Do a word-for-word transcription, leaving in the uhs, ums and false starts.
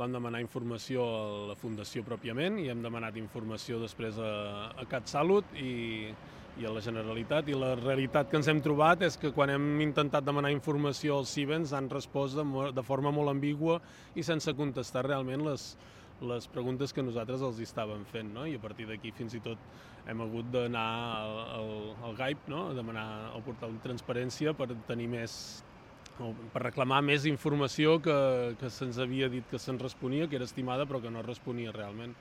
vam demanar informació a la Fundació pròpiament i hem demanat informació després a, a CatSalut i, i a la Generalitat, i la realitat que ens hem trobat és que quan hem intentat demanar informació als Cibens han respost de, de forma molt ambigua i sense contestar realment les, les preguntes que nosaltres els estàvem fent, no? I a partir d'aquí fins i tot hem hagut d'anar al, al, al G A I P, no? A demanar al portal de transparència per tenir més, per reclamar més informació que, que se'ns havia dit que se'ns responia, que era estimada però que no responia realment.